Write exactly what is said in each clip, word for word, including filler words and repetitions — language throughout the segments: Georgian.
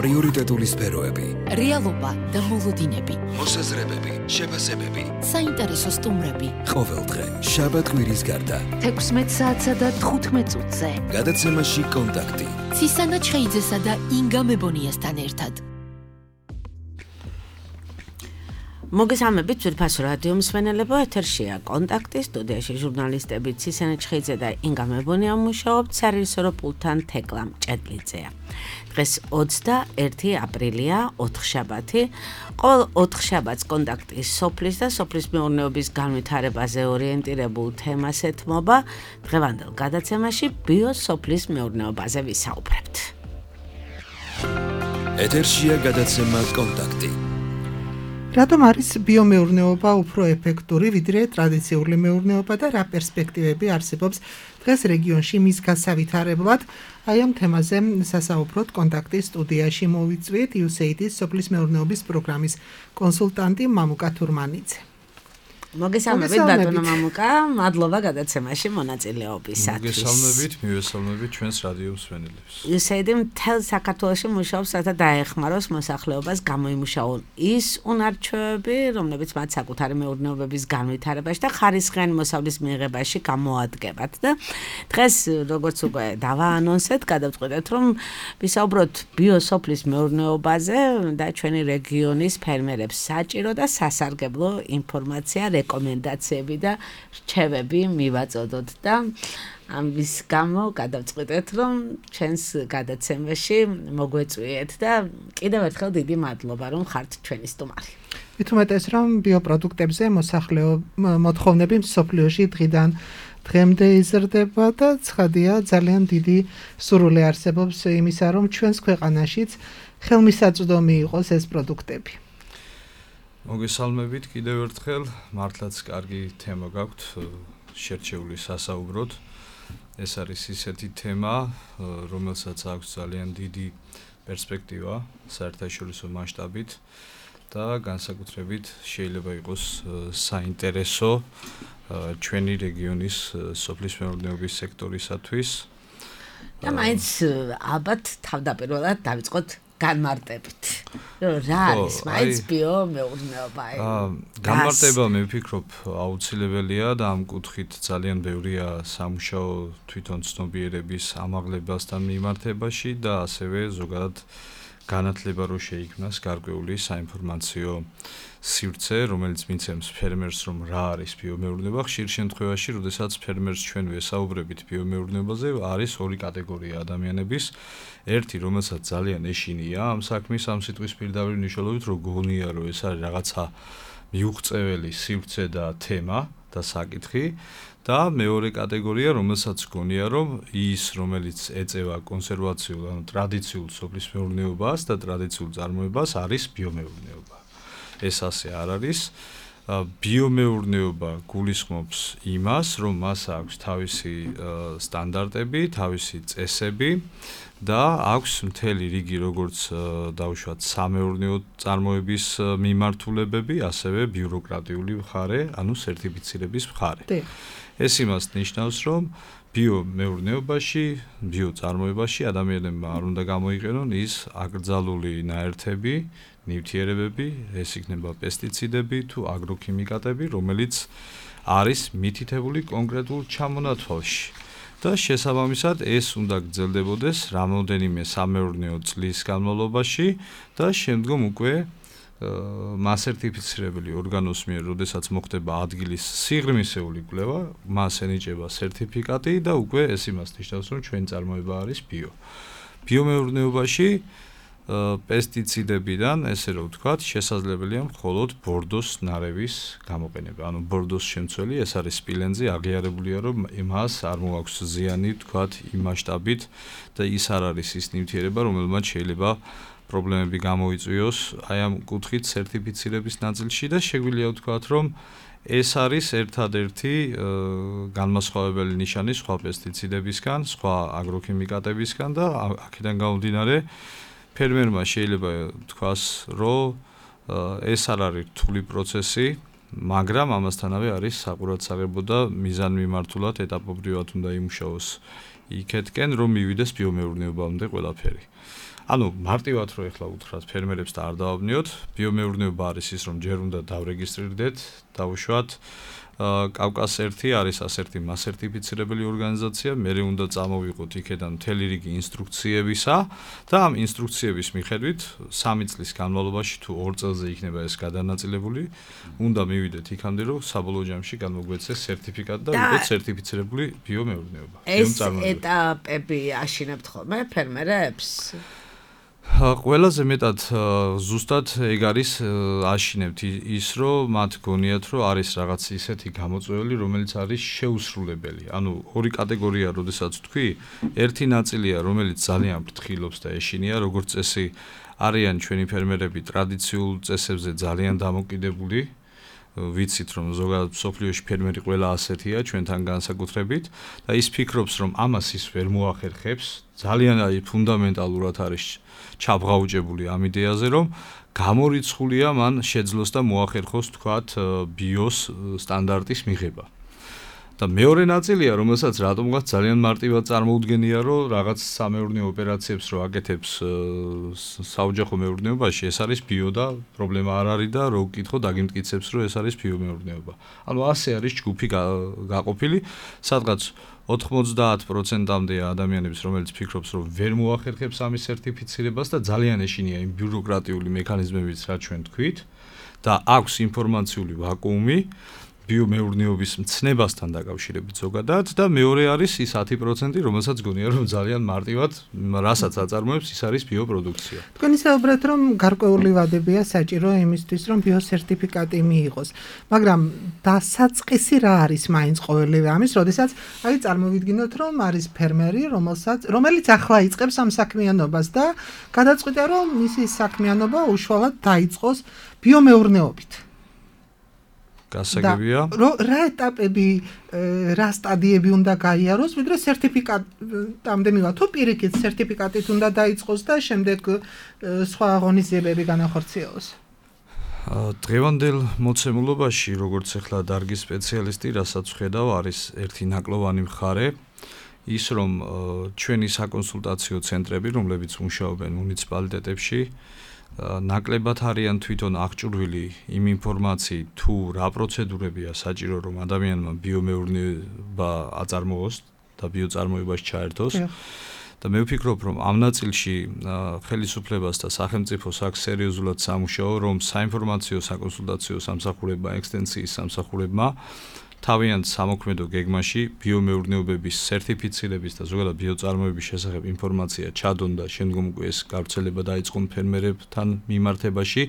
პრიორიტეტული სფეროები, რეალობა და მოლოდინები, მოსაზრებები, შეფასებები, საინტერესო სტუმრები. ყოველდღე შაბათ-კვირის გარდა თექვსმეტ საათსა და თხუთმეტ წუთზე გადაცემაში კონტაქტი ცისანა ჩხეიძესა და ინგა მებონიასთან ერთად. მოგესალმებით ძვირფასო რადიო მსმენელებო, ეთერშია კონტაქტი, სტუდიაში ჟურნალისტები ცისანა ჩხეიძე და ინგა მებონია მუშაობთ, სარეჟისორო პულტთან თეკლა მჭედლიძეა. დღეს ოცდაერთი აპრილია, ოთხშაბათი. ყოველ ოთხშაბათს კონტაქტის სოფლის და სოფლის მეურნეობის განვითარებაზე ორიენტირებულ თემას ეთმობა. დღევანდელ გადაცემაში ბიოსოფლის მეურნეობაზე ვისაუბრებთ. ეთერშია გადაცემა კონტაქტი. რატომ არის ბიომეურნეობა უფრო ეფექტური ვიდრე ტრადიციული მეურნეობა და რა პერსპექტივები არსებობს დღეს რეგიონში მის გასავითარებლად? აი ამ თემაზე სასაუბროთ კონტაქტის სტუდიაში მოვიწვიეთ იუ ეს ეი დი-ის სოფლის მეურნეობის პროგრამის კონსულტანტი მამუკა თურმანიძე. მოგესალმებით ბატონო მამუკა, მადლობა გადაცემაში მონაწილეობისათვის. მოგესალმებით, მივესალმებით ჩვენს რადიო მსმენელებს. იუ ეს ეი დი მთელ საქართველოში მუშაობს, რათა დაეხმაროს მოსახლეობას გამოიმუშაონ ის უნარჩვევები, რომლებიც მათ საკუთარი მეურნეობების განვითარებაში და ხარისხიანი მოსავლის მიღებაში გამოადგებათ. და დღეს, როგორც უკვე დავაანონსეთ, გადავწყვეტეთ, რომ ვისაუბროთ ბიოსოფლის მეურნეობაზე და ჩვენი რეგიონის ფერმერებს საჭირო და სასარგებლო ინფორმაცია, რეკომენდაციები და რჩევები მივაწოდოთ და ამის გამო გადავწყვეტეთ, რომ ჩვენს გადაცემაში მოგვეწვიეთ და კიდევ ერთხელ დიდი მადლობა, რომ ხართ ჩვენი სტუმარი. მით უმეტეს, რომ ბიოპროდუქტებზე მოსახლეო მოთხოვნები მსოფლიოში დღიდან დღემდე იზრდება და ცხადია, ძალიან დიდი სურვილი არსებობს იმისა, რომ ჩვენს ქვეყანაშიც ხელმისაწვდომი იყოს ეს პროდუქტები. მოგესალმებით კიდევ ერთხელ, მართლაც კარგი თემა გაქვთ შერჩეული სასაუბროთ. ეს არის ისეთი თემა, რომელსაც აქვს ძალიან დიდი პერსპექტივა საერთაშორისო მასშტაბით და განსაკუთრებით შეიძლება იყოს საინტერესო ჩვენი რეგიონის სოფლის მეურნეობის სექტორისათვის. და მაინც ალბათ თავდაპირველად დავიწყოთ განმარტებით. რა არის მაინც ბიომეურნეობა? განმარტება მე ვფიქრობ აუცილებელია და ამ კუთხით ძალიან ბევრია სამუშაო თვითონ ცნობიერების ამაღლებასთან მიმართებაში და ასევე ზოგადად განათლება რო შეიქმნას გარკვეული საინფორმაციო სივრცე, რომელიც მიცემს ფერმერს, რომ რა არის ბიომეურნეობა. ხშირ შემთხვევაში, როდესაც ფერმერს ჩვენ ვესაუბრებით ბიომეურნეობაზე, არის ორი კატეგორია ადამიანების. ერთი, რომელსაც ძალიან ეშინია ამ საქმის, ამ სიტყვის პირდაპირ მნიშვნელობით, რომ გონია, რომ ეს არის რაღაცა მიუღწეველი სივრცე და თემა და საკითხი. და მეორე კატეგორია, რომელსაც გონია, რომ ის, რომელიც ეწევა კონსერვაციულ, ანუ ტრადიციულ სოფლის მეურნეობას და ტრადიციულ წარმოებას, არის ბიომეურნეობა. ეს ასე არ არის. ბიომეურნეობა გულისხმობს იმას, რომ მას აქვს თავისი სტანდარტები, თავისი წესები და აქვს მთელი რიგი როგორც დავუშვათ სამეურნეო წარმოების მიმართულებები, ასევე ბიუროკრატიული მხარე, ანუ სერტიფიცირების მხარე. ეს იმას ნიშნავს, რომ ბიომეურნეობაში, ბიოწარმოებაში ადამიანებმა არ უნდა გამოიყენონ ის აკრძალული ნაერთები, ნივთიერებები, ეს იქნება პესტიციდები თუ აგროქიმიკატები, რომელიც არის მითითებული კონკრეტულ ჩამონათვალში. და შესაბამისად ეს უნდა გრძელდებოდეს რამოდენიმე სამეურნეო წლის განმავლობაში და შემდგომ უკვე მასერტიფიცირებელი ორგანოს მიერ, როდესაც მოხდება ადგილის სიღრმისეული კვლევა, მას ენიჭება სერტიფიკატი და უკვე ეს იმას ნიშნავს, რომ ჩვენი წარმოება არის ბიო. ბიომეურნეობაში პესტიციდებიდან, ესე რომ ვთქვათ, შესაძლებელია მხოლოდ ბორდოს ნარევის გამოყენება. ანუ ბორდოს შემცველი, ეს არის სპილენძი, აღიარებულია, რომ მას არ მოაქვს ზიანი, ვთქვათ, იმ მასშტაბით და ის არ არის ის ნივთიერება, რომელმაც შეიძლება პრობლემები გამოიწვიოს აი ამ კუთხით სერტიფიცირების ნაწილში და შეგვიძლია ვთქვათ, რომ ეს არის ერთადერთი განმასხვავებელი ნიშანი სხვა პესტიციდებისგან, სხვა აგროქიმიკატებისგან და აქედან გამომდინარე ფერმერმა შეიძლება თქვას, რომ ეს არ არის რთული პროცესი, მაგრამ ამასთანავე არის საყურადსაღებო და მიზანმიმართულად ეტაპობრივად უნდა იმუშაოს იქეთკენ, რომ მივიდეს ბიომეურნეობამდე ყველაფერი. ანუ მარტივად რო ეხლა უთხრათ ფერმერებს და არ დავაბნიოთ, ბიომეურნეობა არის ის, რომ ჯერ უნდა დავრეგისტრირდეთ, დავუშვათ კავკას ერთი არის ასერთი მასერტიფიცირებელი ორგანიზაცია, მერე უნდა წამოვიყოთ იქედან მთელი რიგი ინსტრუქციებისა და ამ ინსტრუქციების მიხედვით სამი წლის განმავლობაში თუ ორ წელზე იქნება ეს გადანაწილებული, უნდა მივიდეთ იქამდე, რომ საბოლოო ჯამში გამოგვეცეს სერტიფიკატი და ვიყოთ სერტიფიცირებული ბიომეურნეობა. ეს ეტაპები აშინებთ ხოლმე ფერმერებს? ყველაზე მეტად ზუსტად ეგ არის აშინებთ ის, რომ მათ გონიათ, რომ არის რაღაც ისეთი გამოწვეული, რომელიც არის შეუსრულებელი. ანუ ორი კატეგორია, როდესაც თქვი, ერთი ნაწილია, რომელიც ძალიან ფრთხილობს და ეშინია, როგორც წესი, არიან ჩვენი ფერმერები ტრადიციულ წესებზე ძალიან დამოკიდებული. ვიცით, რომ ზოგადად სოფლიოში ფერმერი ყველა ასეთია, ჩვენთან განსაკუთრებით და ის ფიქრობს, რომ ამას ის ვერ მოახერხებს, ძალიან აი ფუნდამენტალურად არის ჩაბღაუჭებული ამ იდეაზე, რომ გამორიცხულია მან შეძლოს და მოახერხოს თქვათ ბიოს სტანდარტის მიღება. და მეორე ნაწილია, რომელსაც რატომღაც ძალიან მარტივად წარმოუდგენია, რომ რაღაც სამეურნეო ოპერაციებს რო აკეთებს საოჯახო მეურნეობაში, ეს არის ბიო და პრობლემა არ არის და რო ვკითხო დაგიმტკიცებს, რომ ეს არის ბიომეურნეობა. ანუ ასე არის ჯგუფი გაყოფილი, სადღაც ოთხმოცდაათ პროცენტამდეა ადამიანების, რომელიც ფიქრობს, რომ ვერ მოახერხებს ამის სერტიფიცირებას და ძალიან ეშინია იმ ბიუროკრატიული მექანიზმებით, რაც ჩვენ თქვით და აქვს ინფორმაციული ვაკუუმი ბიომეურნეობის მცნებასთან დაკავშირებით ზოგადად და მეორე არის ის ათი პროცენტი, რომელსაც გონია, რომ ძალიან მარტივად რასაც აწარმოებს, ის არის ბიოპროდუქცია. თქვენ ისაუბრეთ, რომ გარკვეული ვადებია საჭირო იმისთვის, რომ ბიოსერტიფიკატი მიიღოს, მაგრამ დასაწყისი რა არის მაინც ყოველივე ამის, როდესაც აი წარმოვიდგინოთ, რომ არის ფერმერი, რომელსაც რომელიც ახლა იწყებს ამ საქმიანობას და გადაწყვიტა, რომ მისი საქმიანობა უშუალოდ დაიწყოს ბიომეურნეობით. გასაგებია. რა ეტაპები, რა სტადიები უნდა გაიაროს, ვიდრე სერტიფიკატამდე მივა. თუ პირიქით სერტიფიკატით უნდა დაიწყოს და შემდეგ სხვა აღონიზიებები განახორციელოს. დღევანდელ მოცემულობაში, როგორც ახლა დარგის სპეციალისტი, რასაც ვხედავ, არის ერთი ნაკლოვანი მხარე, ის რომ ჩვენი საკონსულტაციო ცენტრები, რომლებიც მუშაობენ მუნიციპალიტეტებში, ნაკლებად არიან თვითონ აღჭურვილი იმ ინფორმაციით, თუ რა პროცედურებია საჭირო, რომ ადამიანმა ბიომეურნეობა აწარმოოს და ბიოწარმოებაში ჩაერთოს. და მე ვფიქრობ, რომ ამ ნაწილში ხელისუფლებას და სახელმწიფოს აქვს სერიოზულად სამუშაო, რომ საინფორმაციო საკონსულტაციო სამსახურებმა, ექსტენსიის სამსახურებმა თავიანთ სამოქმედო გეგმაში ბიომეურნეობების სერტიფიცირების და ზოგადად ბიოწარმოების შესახებ ინფორმაცია ჩადონ და შემდგომ უკვე ეს გავრცელება დაიწყონ ფერმერებთან მიმართებაში.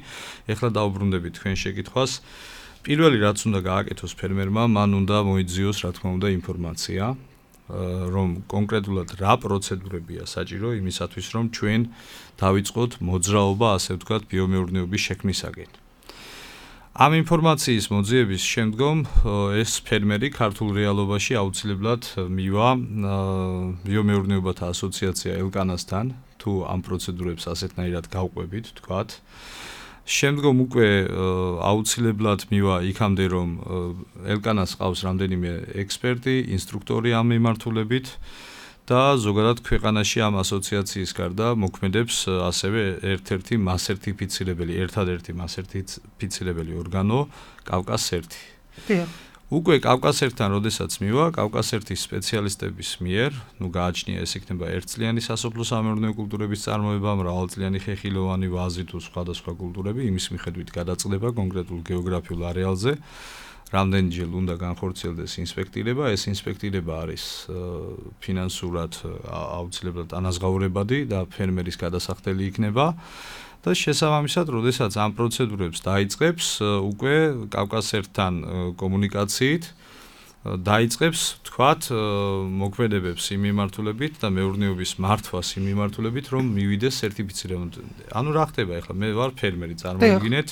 ეხლა დაუბრუნდებით თქვენ შეკითხვას. პირველი რაც უნდა გააკეთოს ფერმერმა, მან უნდა მოიძიოს, რა თქმა უნდა, ინფორმაცია, რომ კონკრეტულად რა პროცედურებია საჭირო იმისათვის, რომ ჩვენ დავიწყოთ მოძრაობა, ასე ვთქვათ, ბიომეურნეობის შექმნისაკენ. ამ ინფორმაციის მოძიების შემდგომ ეს ფერმერი ქართულ რეალობაში აუცილებლად მივა ბიომეურნეობათა ასოციაცია ელკანასთან, თუ ამ პროცედურებს ასეთნაირად გავყვებით, თქვათ. შემდგომ უკვე აუცილებლად მივა იქამდე, რომ ელკანას ყავს რამდენიმე ექსპერტი, ინსტრუქტორი ამ მიმართულებით და ზოგადად ქვეყანაში ამ ასოციაციის გარდა მოქმედებს ასევე ერთ-ერთი მასერტიფიცირებელი, ერთადერთი მასერტიფიცირებელი ორგანო კავკას ერთი. უკვე კავკას ერთთან როდესაც მივა, კავკას ერთის სპეციალისტების მიერ, ნუ გააჩნია ეს იქნება ერთწლიანი სასოფლო სამეურნეო კულტურების წარმოება, მრავალწლიანი ხეხილოვანი ვაზი თუ სხვადასხვა კულტურები, იმის მიხედვით გადაწყდება კონკრეტულ გეოგრაფიულ არეალზე. რამდენჯერ უნდა განხორციელდეს ინსპექტირება, ეს ინსპექტირება არის ფინანსურად აუცილებლად ანაზღაურებადი და ფერმერის გადასახდელი იქნება და შესაბამისად, როდესაც ამ პროცედურებს დაიწყებს, უკვე კავკას ერთთან კომუნიკაციით დაიწყებს, თქვათ, მოქმედებებს იმ მიმართულებით და მეურნეობის მართვას იმ მიმართულებით, რომ მივიდეს სერტიფიცირება. ანუ რა ხდება ახლა? მე ვარ ფერმერი, წარმოვიდგინეთ,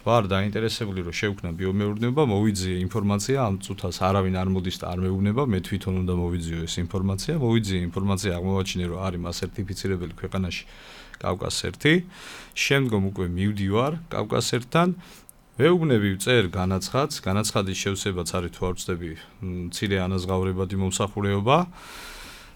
ვარ დაინტერესებული, რომ შევქნა ბიომეურნეობა, მოვიძიე ინფორმაცია, ამ წუთას არავინ არ მოდის და არ მეუბნება, მე თვითონ უნდა მოვიძიო ეს ინფორმაცია, მოვიძიე ინფორმაცია, აღმოვაჩინე, რომ არის მასერტიფიცირებელი ქვეყანაში კავკას ერთი, შემდგომ უკვე მივდივარ კავკას ერთთან, ვეუბნები ვწერ განაცხადს, განაცხადის შევსებაც არის თუ არ ვწდები მცირე ანაზღაურებადი მომსახურეობა.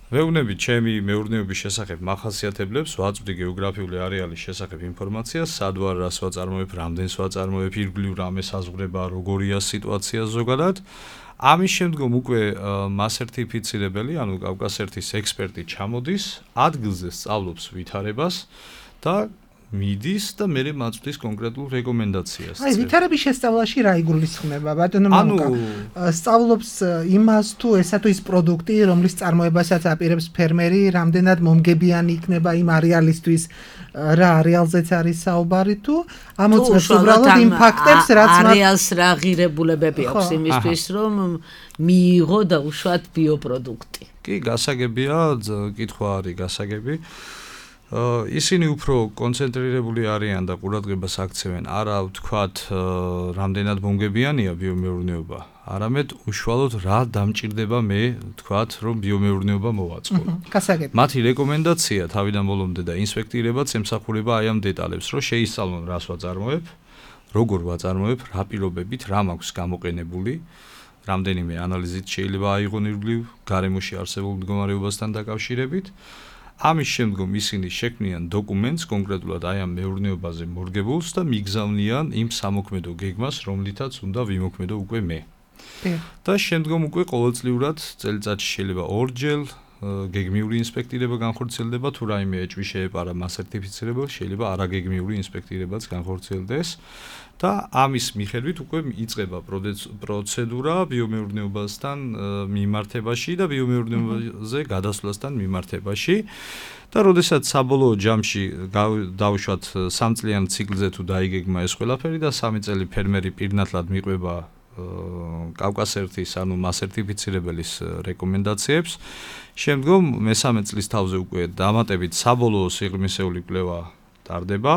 ვეუბნები ჩემი მეურნეობის შესახებ მახასიათებლებს, ვაწვდი გეოგრაფიული არეალის შესახებ ინფორმაციას, სად ვარ, რას ვაწარმოებ, რამდენს ვაწარმოებ, ირგვლივ რამე საზღვრება, როგორია სიტუაცია ზოგადად. ამის შემდგომ უკვე მასერტიფიცირებელი, ანუ კავკასერთის ექსპერტი ჩამოდის, ადგილზე სწავლობს ვითარებას და მიდის და მერე მაწვდის კონკრეტულ რეკომენდაციას. აი, ვითარების შესწავლაში რა იგულისხმება, ბატონო მამუკა? სწავლობს იმას თუ ესა თუ ის პროდუქტი, რომლის წარმოებასაც აპირებს ფერმერი, რამდენად მომგებიანი იქნება იმ არეალისთვის, რა არეალზეც არის საუბარი თუ ამოწმებს უბრალოდ იმ ფაქტებს, რაც არეალს რა ღირებულებები აქვს იმისთვის, რომ მიიღო და უშუალოდ ბიოპროდუქტი. კი, გასაგებია, კითხვა არის გასაგები. ისინი უფრო კონცენტრირებული არიან და ყურადღებას აქცევენ არა ვთქვათ რამდენად მომგებიანია ბიომეურნეობა, არამედ უშუალოდ რა დამჭირდება მე ვთქვათ რომ ბიომეურნეობა მოვაწყო. მათი რეკომენდაცია თავიდან ბოლომდე და ინსპექტირებაც ემსახურება აი ამ დეტალებს, რომ შეისწავლონ რას ვაწარმოებ, როგორ ვაწარმოებ, რა პირობებით, რა მაქვს გამოყენებული, რამდენიმე ანალიზით შეიძლება აიღონ ირგვლივ გარემოში არსებულ მდგომარეობასთან დაკავშირებით. ამის შემდგომ ისინი შექმნიან დოკუმენტს კონკრეტულად აი ამ მეურნეობაზე მორგებულს და მიგზავნიან იმ სამოქმედო გეგმას, რომლითაც უნდა ვიმოქმედო უკვე მე. და შემდგომ უკვე ყოველწლიურად წელიწადში შეიძლება ორჯერ გეგმიური ინსპექტირება განხორციელდება, თუ რაიმე ეჭვი შეეპარა მასერტიფიცირებელს, შეიძლება არაგეგმიური ინსპექტირებაც განხორციელდეს. და ამის მიხედვით უკვე იწყება პროცედურა ბიომეურნეობასთან მიმართებაში და ბიომეურნეობაზე გადასვლასთან მიმართებაში. და როდესაც საბოლოო ჯამში დავუშვათ სამწლიან ციკლზე თუ დაიგეგმა ეს ყველაფერი და სამი წელი ფერმერი პირნათლად მიყვება კავკასერთის ანუ მასერტიფიცირებელის რეკომენდაციებს. შემდგომ მესამე წლის თავზე უკვე დამატებით საბოლოო სიღრმისეული კვლევა ტარდება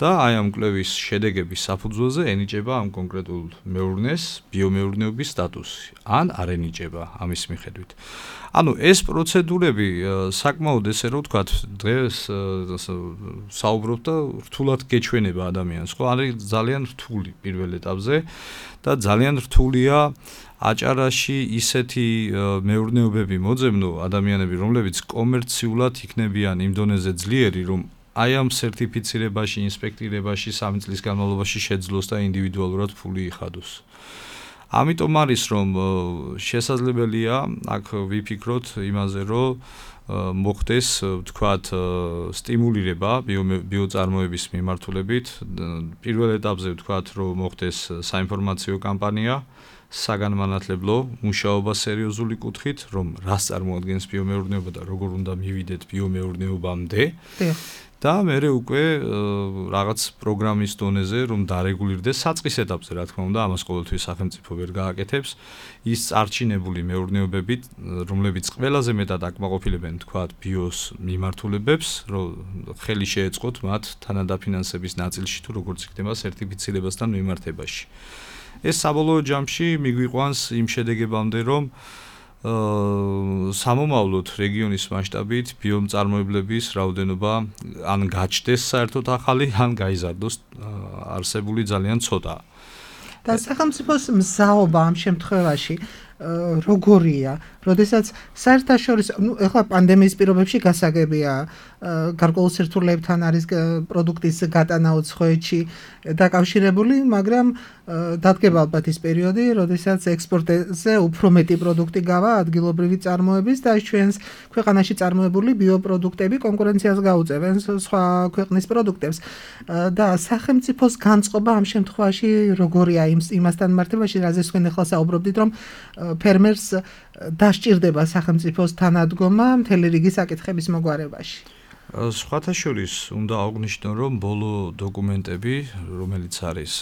და აი ამ კვლევის შედეგების საფუძველზე ენიჭება ამ კონკრეტულ მეურნეს ბიომეურნეობის სტატუსი ან არ ენიჭება ამის მიხედვით. ანუ ეს პროცედურები საკმაოდ ესე რომ ვთქვათ დღეს საუბრობთ და რთულად გეჩვენება ადამიანს, ხო? არის ძალიან რთული პირველ ეტაპზე და ძალიან რთულია აჭარაში ისეთი მეურნეობები მოძებნო ადამიანები, რომლებიც კომერციულად იქნებიან იმ დონეზე ძლიერი, რომ აი ამ სერტიფიცირებაში, ინსპექტირებაში სამი წლის განმავლობაში შეძლოს და ინდივიდუალურად ფული იხადოს. ამიტომ არის რომ შესაძლებელია აქ ვიფიქროთ იმაზე, რომ მოხდეს, ვთქვათ, სტიმულირება ბიოწარმოების მიმართულებით. პირველ ეტაპზე ვთქვათ, რომ მოხდეს საინფორმაციო კამპანია, საგანმანათლებლო მუშაობა სერიოზული კუთხით, რომ რას წარმოადგენს ბიომეურნეობა და როგორ უნდა მივიდეთ ბიომეურნეობამდე. და მერე უკვე რაღაც პროგრამის დონეზე რომ დარეგულირდეს საწყის ეტაპზე, რა თქმა უნდა, ამას ყოველთვის სახელმწიფო ვერ გააკეთებს. ის წარჩინებული მეურნეობები, რომლებიც ყველაზე მეტად აკმაყოფილებენ, თქვათ, ბიოს მიმართულებებს, რომ ხელი შეეწყოთ მათ თანადაფინანსების ნაწილში თუ როგორც იქნება სერტიფიცირებასთან მიმართებაში. ეს საბოლოო ჯამში მიგვიყვანს იმ შედეგებამდე, რომ სამომავლოდ რეგიონის მასშტაბით ბიომწარმოებლების რაოდენობა ან გაჩნდეს საერთოდ ახალი, ან გაიზარდოს არსებული ძალიან ცოტა. და სახელმწიფოს მზაობა ამ შემთხვევაში როგორია? როდესაც საერთაშორისო, ნუ ეხლა პანდემიის პირობებში გასაგებია, გარკვეულ სირთულეებთან არის პროდუქტის გატანა უცხოეთში დაკავშირებული, მაგრამ დადგება ალბათ ის პერიოდი, როდესაც ექსპორტზე უფრო მეტი პროდუქტი გავა ადგილობრივი წარმოების და ჩვენს ქვეყანაში წარმოებული ბიოპროდუქტები კონკურენციას გაუწევენ სხვა ქვეყნის პროდუქტებს. და სახელმწიფოს განწყობა ამ შემთხვევაში როგორია იმასთან მიმართებაში, რაზეც თქვენ ახლა საუბრობდით, რომ ფერმერს დასჭირდება სახელმწიფოს თანადგომა მთელი რიგი საკითხების მოგვარებაში. სხვათა შორის უნდა აღვნიშნო, რომ ბოლო დოკუმენტები, რომელიც არის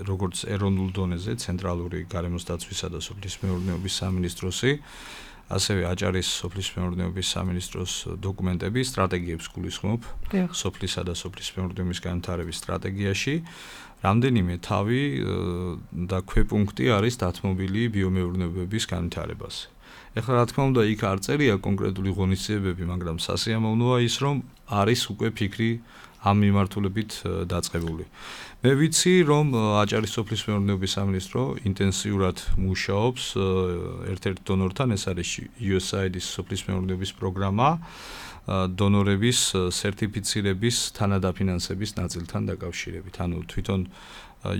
როგორც ეროვნულ დონეზე ცენტრალური გარემოს დაცვისა და სოფლის მეურნეობის სამინისტროსი, ასევე აჭარის სოფლის მეურნეობის სამინისტროს დოკუმენტები სტრატეგიებს გულისხმობ სოფლისა და სოფლის მეურნეობის განვითარების სტრატეგიაში. რამდენიმე თავი და ქვეპუნქტი არის დათმობილი ბიომეურნეობების განვითარებაზე. ეხლა რა თქმა უნდა იქ არ წერია კონკრეტული ღონისძიებები, მაგრამ სასიამოვნოა ის, რომ არის უკვე ფიქრი ამ მიმართულებით დაწყებული. მე ვიცი, რომ აჭარის სოფლის მეურნეობის სამინისტრო ინტენსიურად მუშაობს ერთ-ერთ დონორთან, ეს არის იუ ეს აი აი-ის სოფლის მეურნეობის პროგრამა, დონორების სერტიფიცირების თანადაფინანსების ნაწილთან დაკავშირებით. ანუ თვითონ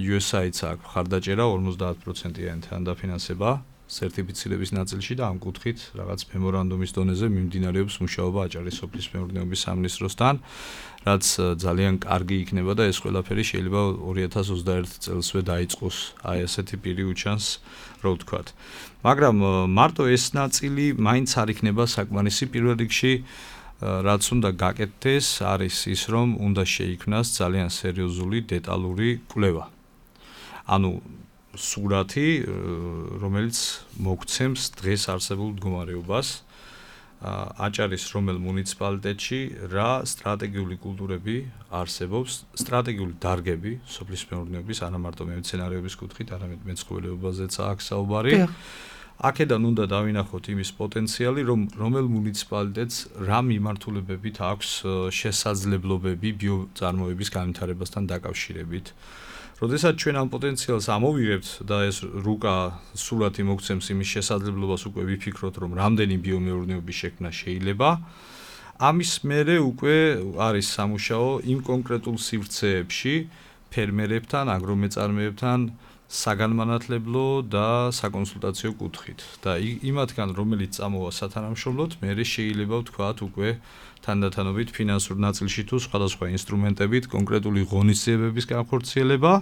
იუ ეს აი აიც აქვს ხარდაჭერა ორმოცდაათ პროცენტიანი თანადაფინანსება სერტიფიცირების ნაწილში და ამ კუთხით რაღაც მემორანდუმის დონეზე მიმდინარეობს მუშაობა აჭარის სოფლის მეურნეობის სამინისტროსთან, რაც ძალიან კარგი იქნება და ეს ყველაფერი შეიძლება ორი ათას ოცდაერთი წელსვე დაიწყოს. აი ესეთი პირი უჩანს, რო ვთქვათ. მაგრამ მარტო ეს ნაწილი მაინც არ იქნება საკმარისი. პირველ რიგში რაც უნდა გაკეთდეს, არის ის, რომ უნდა შეიქმნას ძალიან სერიოზული დეტალური კვლევა. ანუ სურათი, რომელიც მოგცემს დღეს არსებულ მდგომარეობას აჭარის რომელ მუნიციპალიტეტში რა სტრატეგიული კულტურები არსებობს, სტრატეგიული დარგები სოფლის მეურნეობის, არა მარტო მემცენარეობის კუთხით, არამედ მეცხოველეობაზეც აქვს საუბარი. აქედან უნდა დავინახოთ იმის პოტენციალი, რომ რომელ მუნიციპალიტეტს რა მიმართულებებით აქვს შესაძლებლობები ბიოწარმოების განვითარებასთან დაკავშირებით. როდესაც ჩვენ ამ პოტენციალს ამოვიღებთ და ეს რუკა სურათი მოგცემს იმის შესაძლებლობას, უკვე ვიფიქროთ, რომ რამდენი ბიომეურნეობის შექმნა შეიძლება. ამის მერე უკვე არის სამუშაო იმ კონკრეტულ სივრცეებში ფერმერებთან, აგრომეწარმეებთან საგანმანათლებლო და საკონსულტაციო კუთხით. და იმათგან, რომელიც წამოვა სათანამშრომლოდ, მერე შეიძლება ვთქვათ უკვე თანდათანობით ფინანსურ ნაწილში თუ სხვადასხვა ინსტრუმენტებით კონკრეტული ღონისძიებების განხორციელება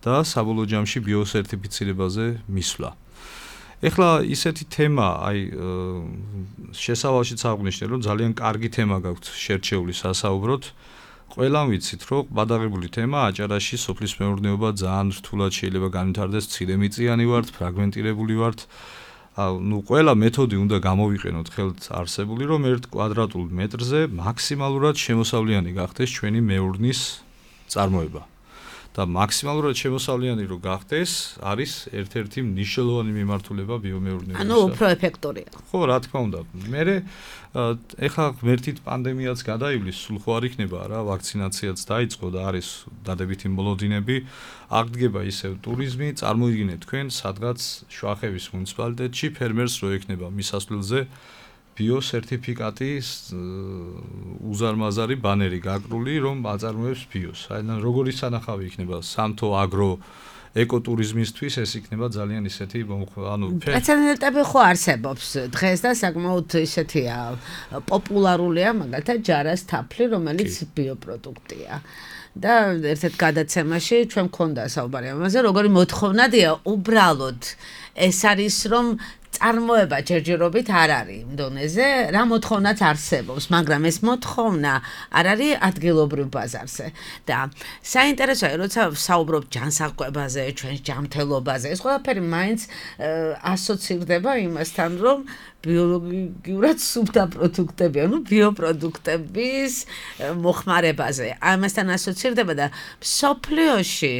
და საბოლოო ჯამში ბიოსერტიფიცირებაზე მისვლა. ეხლა ისეთი თემა, აი შესავალშიც აღვნიშნე, რომ ძალიან კარგი თემა გაქვთ შერჩეული სასაუბროთ. ყველამ ვიცით, რომ ბადაღებული თემა აჭარაში სოფლის მეურნეობა ძალიან რთულად შეიძლება განვითარდეს, მცირემიწიანი ვართ, ფრაგმენტირებული ვართ. ნუ ყველა მეთოდი უნდა გამოვიყენოთ ხელთ არსებული, რომ ერთ კვადრატულ მეტრზე მაქსიმალურად შემოსავლიანი გახდეს ჩვენი მეურნის წარმოება. და მაქსიმალურად შემოსავლიანი რო გახდეს, არის ერთ-ერთი მნიშვნელოვანი მიმართულება ბიომეურნეობის. ანუ უფრო ეფექტურია. ხო, რა თქმა უნდა. მერე ეხლა ღმერთით პანდემიაც გადაივლის, სულ ხო არ იქნება რა, ვაქცინაციაც დაიწყო და არის დადებითი მოლოდინები, აღდგება ისევ ტურიზმი, წარმოიდგინეთ თქვენ სადღაც შვახევის მუნიციპალიტეტში ფერმერს რო ექნება მისასვლელზე ბიოსერტიფიკატი უზარმაზარი ბანერი გაკრული, რომ აწარმოებს ბიოს. აი, როგორი სანახავი იქნება სამთო აგრო ეკოტურიზმისთვის, ეს იქნება ძალიან ისეთი, ანუ პრეცედენტები ხო არსებობს დღეს და საკმაოდ ისეთია პოპულარულია, მაგალითად ჯარას თაფლი, რომელიც ბიოპროდუქტია. და ერთ-ერთ გადაცემაში ჩვენ მქონდა საუბარი ამაზე, როგორი მოთხოვნადია უბრალოდ ეს არის, რომ წარმოება ჯერჯერობით არ არის იმ დონეზე, რა მოთხოვნაც არსებობს, მაგრამ ეს მოთხოვნა არ არის ადგილობრივ ბაზარზე. და საინტერესოა, როცა საუბრობ ჯანსაღკვებაზე, ჩვენს ჯანმრთელობაზე, ეს ყველაფერი მაინც ასოცირდება იმასთან, რომ ბიოლოგიურად სუფთა პროდუქტები, ანუ ბიოპროდუქტების მოხმარებაზე. ამასთან ასოცირდება და მსოფლიოში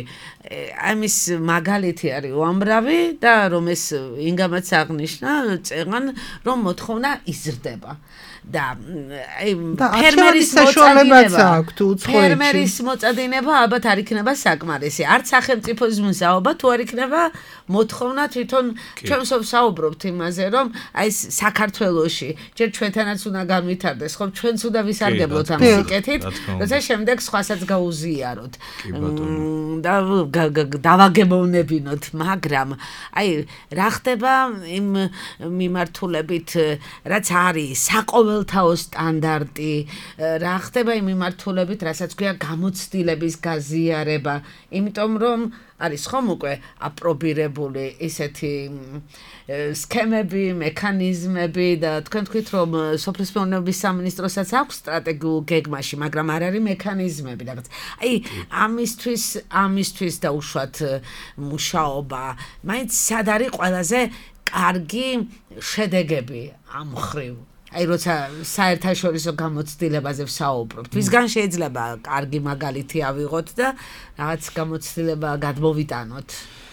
ამის მაგალითი არის უამრავი და რომ ეს ინგამაც აღნიშნა, წეღან რომ მოთხოვნა იზრდება. და აი ფერმერის საშუალებაც აქვს უცხოეთში. ფერმერის მოწადინება ალბათ არ იქნება საკმარისი. არც სახელმწიფოს მზაობა თუ არ იქნება მოთხოვნა თვითონ ჩვენ საუბრობთ იმაზე, რომ აი საქართველოში ჯერ ჩვენთანაც უნდა განვითარდეს, ხო ჩვენც უნდა ვისარგებლოთ ამ სიკეთით, როცა შემდეგ სხვასაც გაუზიაროთ. და დავაგებოვნებინოთ, მაგრამ აი რა ხდება იმ მიმართულებით, რაც არის საყოველთაო სტანდარტი, რა ხდება იმ მიმართულებით, რასაც ქვია გამოცდილების გაზიარება, იმიტომ რომ არის ხომ უკვე აპრობირებული ისეთი სქემები, მექანიზმები და თქვენ თქვით რომ სოფლის მეურნეობის სამინისტროსაც აქვს სტრატეგიულ გეგმაში, მაგრამ არ არის მექანიზმები რაღაც. აი ამისთვის, ამისთვის დაუშვათ მუშაობა. მაინც სად არის ყველაზე კარგი შედეგები ამ ხრივ? აი როცა საერთაშორისო გამოცდილებაზე ვსაუბრობთ, ვისგან შეიძლება კარგი მაგალითი ავიღოთ და რაღაც გამოცდილება გადმოვიტანოთ.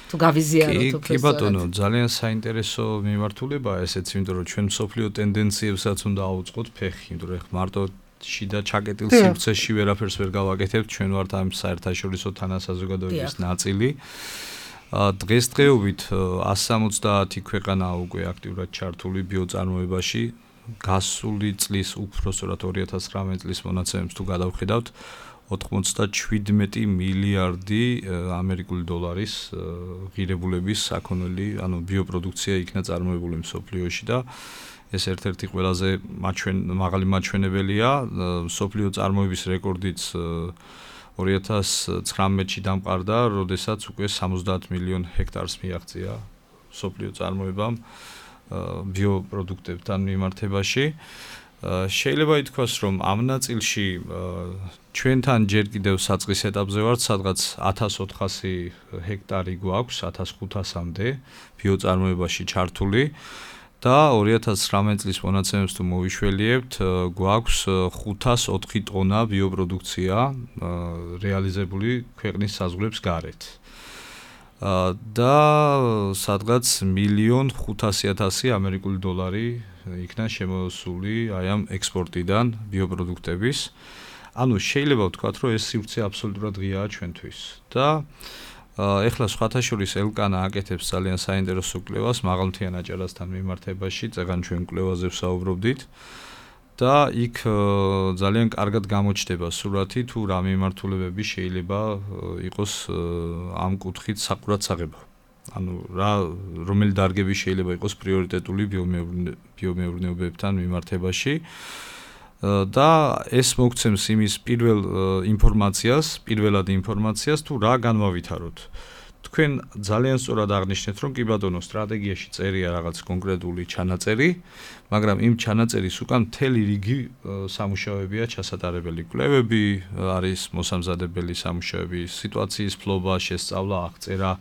თუ გავიზიაროთ უფრო. კი ბატონო, ძალიან საინტერესო მიმართულებაა ესეც, იმიტომ რომ ჩვენ მსოფლიო ტენდენციებსაც უნდა აუწყოთ ფეხი, იმიტომ რომ მარტო შიდა ჩაკეტილ სივრცეში ვერაფერს ვერ გავაკეთებთ, ჩვენ ვართ ამ საერთაშორისო თანასაზოგადოების ნაწილი. დღესდღეობით one seventy ქვეყანა უკვე აქტიურად ჩართული ბიოწარმოებაში. გასული წლის უпростоრად two thousand nineteen წლის მონაცემებს თუ გადავხედავთ, ninety-seven მილიარდი ამერიკული დოლარის ღირებულების საქონელი, ანუ ბიოპროდუქცია იქნა წარმოებული მსოფლიოში და ეს ერთ-ერთი ყველაზე მაღალი მაჩვენებელია. მსოფლიო წარმოების რეკორდიც two thousand nineteen-ში დამყარდა, როდესაც უკვე seventy მილიონ ჰექტარს მიაღწია მსოფლიო წარმოებამ ბიოპროდუქტებთან მიმართებაში. შეიძლება ითქვას, რომ ამ ნაწილში ჩვენთან ჯერ კიდევ საწყის ეტაპზე ვართ, სადღაც fourteen hundred ჰექტარი გვაქვს one thousand five hundred-მდე ბიოწარმოებაში ჩართული და two thousand nineteen წლის მონაცემებს თუ მოვიშველიებთ, გვაქვს five hundred four ტონა ბიოპროდუქცია რეალიზებული ქვეყნის საზღვრებს გარეთ. და სადღაც one million five hundred thousand ამერიკული დოლარი იქნა შემოსული აი ამ ექსპორტიდან ბიოპროდუქტების. ანუ შეიძლება ვთქვათ, რომ ეს სივრცე აბსოლუტურად ღიაა ჩვენთვის. და ეხლა სხვათა შორის ელკანა აკეთებს ძალიან საინტერესო კვლევას მაღალმთიან აჭარასთან მიმართებაში, წეგან ჩვენ კვლევაზე ვსაუბრობდით. და იქ ძალიან კარგად გამოჩნდება სურათი თუ რა მიმართულებები შეიძლება იყოს ამ კუთხით საყურადსაღებო. ანუ რა რომელი დარგები შეიძლება იყოს პრიორიტეტული ბიომეურნეობებთან მიმართებაში. და ეს მოგცემს იმის პირველ ინფორმაციას, პირველად ინფორმაციას თუ რა განვავითაროთ. თქვენ ძალიან სწორად აღნიშნეთ, რომ კი ბატონო, სტრატეგიაში წერია რაღაც კონკრეტული ჩანაწერი, მაგრამ იმ ჩანაწერის უკან მთელი რიგი სამუშაოებია ჩასატარებელი. კვლევები არის მოსამზადებელი სამუშაოები, სიტუაციის ფლობა, შესწავლა, აღწერა,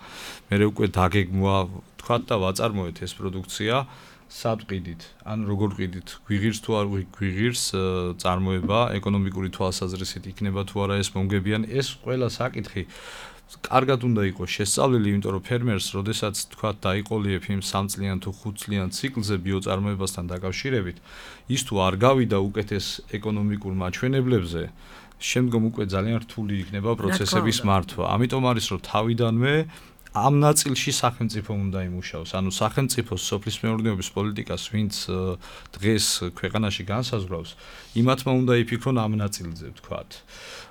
მერე უკვე დაგეგმვა, თქვათ და ვაწარმოეთ ეს პროდუქცია სად ყიდით, ან როგორ ყიდით, გვიღირს თუ არ გვიღირს წარმოება, ეკონომიკური თვალსაზრისით იქნება თუ არა ეს მომგებიანი, ეს ყველა საკითხი კარგად უნდა იყოს შესწავლილი, იმიტომ რომ ფერმერს, როდესაც თქვათ დაიყოლიებ იმ three წლიან თუ five წლიან ციკლზე ბიოწარმოებასთან დაკავშირებით, ის თუ არ გავიდა უკეთეს ეკონომიკურ მაჩვენებლებზე, შემდგომ უკვე ძალიან რთული იქნება პროცესების მართვა. ამიტომ არის რომ თავიდანვე ამ ნაწილში სახელმწიფო უნდა იმუშაოს. ანუ სახელმწიფოს სოფლის მეურნეობის პოლიტიკას, ვინც დღეს ქვეყანაში განსაზღვრავს, იმათმა უნდა იფიქრონ ამ ნაწილზე, თქვათ,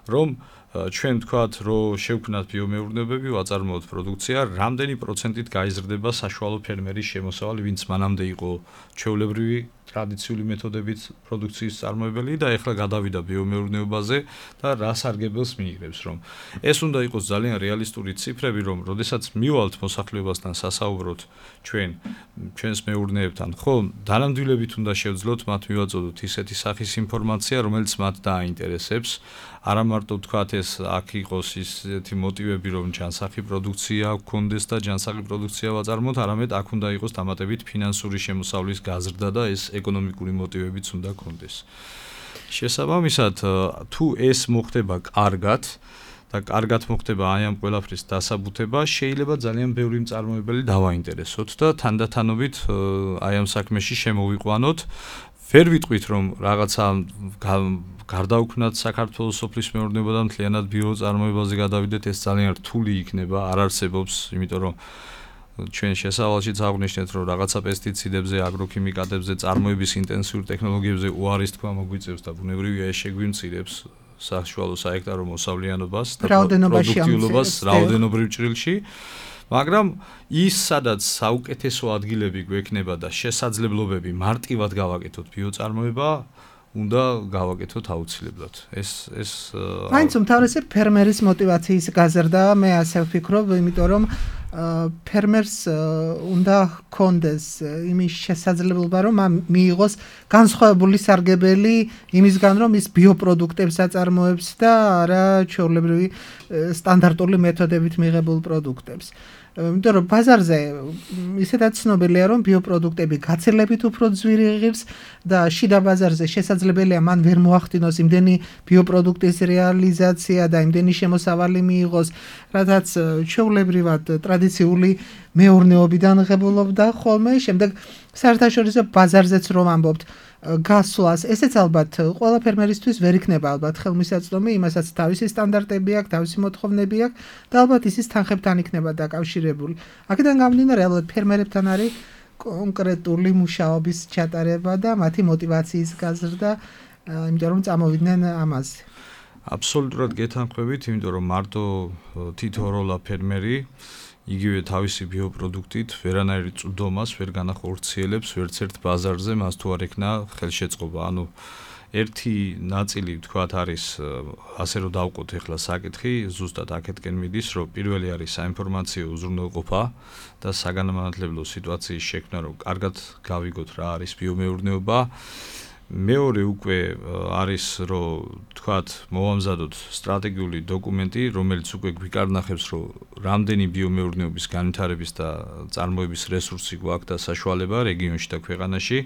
რომ ჩვენ თქვათ, რომ შევქმნათ ბიომეურნეობები, ვაწარმოოთ პროდუქცია, რამდენი პროცენტით გაიზრდება საშუალო ფერმერის შემოსავალი, ვინც მანამდე იყო ჩვეულებრივი ტრადიციული მეთოდებით პროდუქციის წარმოებელი და ეხლა გადავიდა ბიომეურნეობაზე და რა სარგებელს მიიღებს, რომ ეს უნდა იყოს ძალიან რეალისტური ციფრები, რომ როდესაც მივალთ მოსახლეობასთან სასაუბროთ ჩვენ ჩვენს მეურნეებთან, ხო, დანამდვილებით უნდა შევძლოთ მათ მივაწოდოთ ისეთი სახის ინფორმაცია, რომელიც მათ დააინტერესებს. არა მარტო თქვათ ეს აქ იყოს ისეთი მოტივები, რომ ჯანსაღი პროდუქცია გქონდეს და ჯანსაღი პროდუქცია ვაწარმოოთ, არამედ აქ უნდა იყოს დამატებით ფინანსური შემოსავლის გაზრდა და ეს ეკონომიკური მოტივებიც უნდა გქონდეს. შესაბამისად, თუ ეს მოხდება კარგად და კარგად მოხდება აი ამ ყველაფრის დასაბუთება, შეიძლება ძალიან ბევრი მწარმოებელი დავაინტერესოთ და თანდათანობით აი ამ საქმეში შემოვიყვანოთ. ვერ ვიტყვით, რომ რაღაცა გარდაუქმნათ საქართველოს სოფლის მეურნეობა და მთლიანად ბიოწარმოებაზე გადავიდეთ, ეს ძალიან რთული იქნება, არ არსებობს, იმიტომ რომ ჩვენ შესავალშიც აღვნიშნეთ, რომ რაღაცა პესტიციდებზე, აგროქიმიკატებზე, წარმოების ინტენსიურ ტექნოლოგიებზე უარის თქვა მოგვიწევს და ბუნებრივია ეს შეგვიმცირებს საშუალო საექტარო მოსავლიანობას და პროდუქტიულობას რაოდენობრივ ჭრილში. მაგრამ ის სადაც საუკეთესო ადგილები გვექნება და შესაძლებლობები მარტივად გავაკეთოთ ბიოწარმოება, უნდა გავაკეთოთ აუცილებლად. ეს ეს მაინც უმთავრესად ფერმერის მოტივაციის გაზრდა, მე ასე ვფიქრობ, იმიტომ რომ ფერმერს უნდა ჰქონდეს იმის შესაძლებლობა, რომ მიიღოს განსხვავებული სარგებელი იმისგან, რომ ის ბიოპროდუქტებს აწარმოებს და არა ჩვეულებრივი სტანდარტული მეთოდებით მიღებულ პროდუქტებს. იმიტომ რომ ბაზარზე ისედაც ცნობილია, რომ ბიოპროდუქტები გაცილებით უფრო ძვირი ღირს და შიდა ბაზარზე შესაძლებელია მან ვერ მოახდინოს იმდენი ბიოპროდუქტის რეალიზაცია და იმდენი შემოსავალი მიიღოს, რადგან ჩვეულებრივად ტრადიციული მეურნეობიდან ღებულობდა ხოლმე. შემდეგ საერთაშორისო ბაზარზეც რომ ამბობთ, გასვლას, ესეც ალბათ ყველა ფერმერისთვის ვერ იქნება ალბათ ხელმისაწვდომი, იმასაც თავისი სტანდარტები აქვს, თავისი მოთხოვნები აქვს და ალბათ ისიც თანხებთან იქნება დაკავშირებული. აქედან გამომდინარე, ალბათ ფერმერებთან არის კონკრეტული მუშაობის ჩატარება და მათი мотиваციის გაზრდა, იმიტომ რომ წამოვიდნენ ამაზე. აბსოლუტურად გეთანხმებით, იმიტომ რომ მარტო თითო როლა ფერმერი იგივე თავისი ბიოპროდუქტით ვერანაირი წვდომას ვერ განახორციელებს ვერც ერთ ბაზარზე, მას თუ არ ექნა ხელშეწყობა. ანუ ერთი ნაწილი თქვათ არის ასე რომ დავყოთ ახლა საკითხი, ზუსტად აქეთკენ მიდის, რომ პირველი არის საინფორმაციო უზრუნველყოფა და საგანმანათლებლო სიტუაციის შექმნა, რომ კარგად გავიგოთ რა არის ბიომეურნეობა. მეორე უკვე არის რომ თქვათ მოვამზადოთ სტრატეგიული დოკუმენტი, რომელიც უკვე გვიკარნახებს, რომ რამდენი ბიომეურნეობის განვითარების და წარმოების რესურსი გვაქვს და საშუალება რეგიონში და ქვეყანაში.